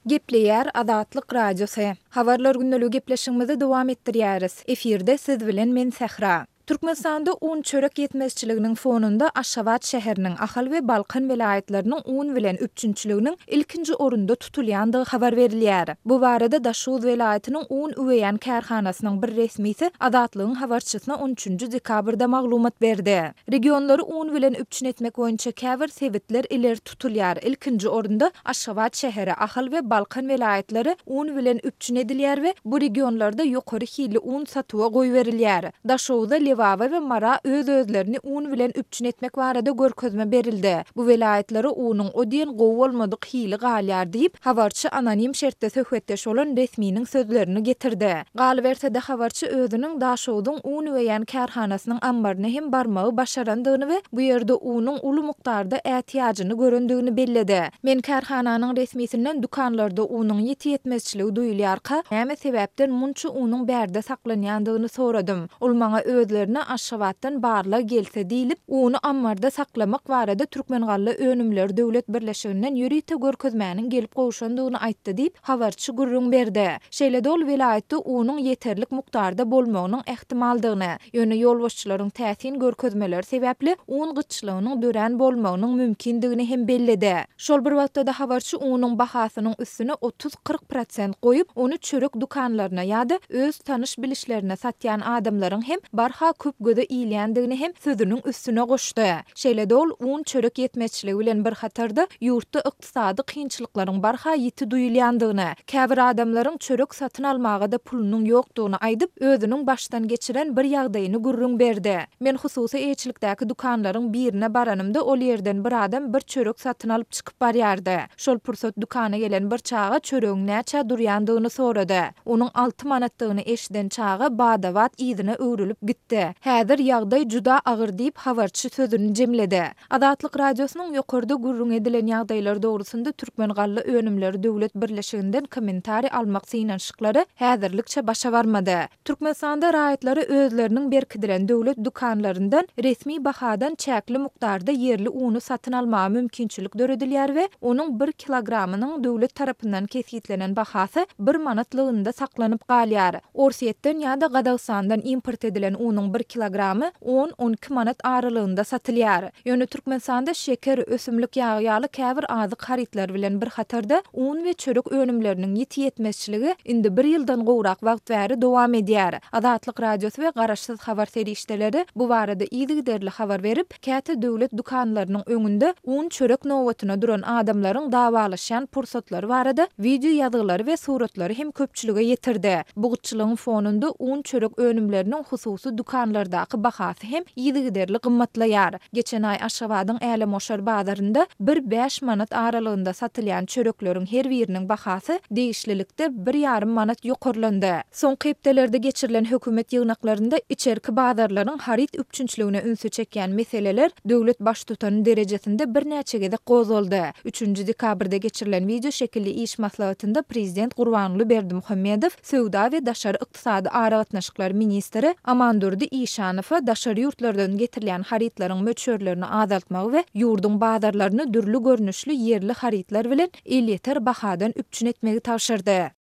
Gepleýär Azatlyk Radiosy. Habarlar gündeligi gepleşigimizi dowam etdirýäris. Efirde siz bilen men Sähra. Türkmenistanda un-çörek ýetmezçiliginiň fonunda Aşgabat şäheriniň, Ahal we Balkan welaýatlarynyň un bilen üpjünçiliginiň ilkinji orunda tutulýandygy habar berilýär. Bu barada Daşoguz welaýatynyň un üweýän kärhanasynyň bir resmisi Azatlygyň habarçysyna on üçünji dekabrda maglumat berdi. Regionlary un bilen üpjün etmek boýunça käbir sebitler ileri tutulýar. Ilkinji orunda Aşgabat şäheri, Ahal we Balkan welaýatlary un bilen üpjün edilýär we bu regionlarda ýokary hilli un satuwa goýberilýär. Daşoguza, Lebaba we Mara öz-özlerini un bilen üpjün etmek barada görkezme berildi. Bu welaýatlara unuň o diýen gowy bolmadyk hili galýar diýip, habarçy anonim şertde söhbetdeş bolan resminiň sözlerini getirdi. Galyberse-de, habarçy özüniň Daşogzuň un üweýän kärhanasynyň ammaryna hem barmagy başarandygyny we bu ýerde unuň uly mukdarda ätiýajyny görendigini belledi. Men kärhananyň resmisinden dükanlarda unuň ýiti ýetmezçiligi duýulýarka, näme sebäpden munça unuň bärde saklanýandygyny soradym. Ol maňa özlerine Aşgabatdan barlag gelse diýlip, uny ammarda saklamak barada Türkmengallaönümleri döwlet birleşiginden ýörite görkezmäniň gelip gowşandygyny aýtdy diýip, habarçy gürrüň berdi. Şeýle-de ol welaýatda unuň ýeterlik mukdarda bolmagynyň ähtimaldygyny, ýöne ýolbaşçylaryň täsin görkezmeleri sebäpli un gytçylygynyň dörän bolmagynyň mümkindigini hem belledi. Şol bir wagtda-da habarçy unuň bahasynyň üstüne 30-40 prosent goýup, ony çörek dükanlaryna ýa-da öz tanyş-bilişlerine satýan adamlaryň hem barha köp göze ilýändigini hem sözüniň üstüne goşdy. Şeýle-de ol un-çörek ýetmezçiligi bilen bir hatarda ýurtda ykdysady kynçylyklaryň barha ýiti duýulýandygyny, käbir adamlaryň çörek satyn almaga-da pulunyň ýokdugyny aýdyp, özüniň başdan geçiren bir ýagdaýyny gürrüň berdi. Men hususy eýeçilikdäki dükanlaryň birine baranymda ol ýerden bir adam bir çörek satyn alyp çykyp barýardy. Şol pursat dükana gelen bir çaga çöregiň näçä durýandygyny sorady. Onuň alty manatdygyny eşiden çaga bada-bat yzyna öwrülip gitdi. Häzir ýagdaý juda agyr diýip, habarçy sözüni jemledi. Azatlyk Radiosynyň ýokarda gürrüň edilen ýagdaýlar dogrusynda Türkmengallaönümleri döwlet birleşiginden kommentariý almak synanyşyklary häzirlikçe başa barmady. Türkmenistanda raýatlara özleriniň berkidilen döwlet dükanlaryndan resmi bahadan çäkli mukdarda ýerli uny satyn almaga mümkinçilik döredilýär we onuň bir kilogramynyň döwlet tarapyndan kesgitlenen bahasy bir manatlygynda saklanyp galýar. Orsýetden ýa-da Gazagystandan import edilen unuň bir kilogramy on-on iki manat aralygynda satylýar. Ýöne Türkmenistanda şeker, ösümlik ýagy ýaly käbir azyk harytlary bilen bir hatarda un we çörek önümleriniň ýiti ýetmezçiligi indi bir ýyldan gowrak wagt bäri dowam edýär. Azatlyk Radiosy we garaşsyz habar serişdeleri bu barada yzygiderli habar berip, Käte döwlet dükanlarynyň öňünde un-çörek nobatyna duran adamlaryň dawalaşýan pursatlary barada wideo ýazgylary we suratlary hem köpçülige ýetirdi. Bu gytçylygyň fonunda un-çörek önümleriniň hususy dükanlardaky bahasy hem yzygiderli gymmatlaýar. Geçen aý Aşgabadyň Älemgoşar bazarynda bir bäş manat aralygynda satylýan çörekleriň her biriniň bahasy degişlilikde bir ýarym manat ýokarlandy. Soňky hepdelerde geçirilen hökümet ýygnaklarynda içerki bazarlaryň haryt üpjünçiligine ünsi çekýän meseleler döwlet Baştutany derejesinde birnäçe gezek gozgaldy. Üçünji dekabrda geçirilen wideoşekilli iş maslahatynda prezident Gurbanguly Berdimuhamedow söwda we daşary ykdysady aragatnaşyklar ministri Amandurdy Işanowa daşary ýurtlardan getirilýän harytlaryň möçberlerini azaltmagy we ýurduň bazarlaryny dürli görnüşli ýerli harytlar bilen elýeter bahadan üpjün etmegi tabşyrdy.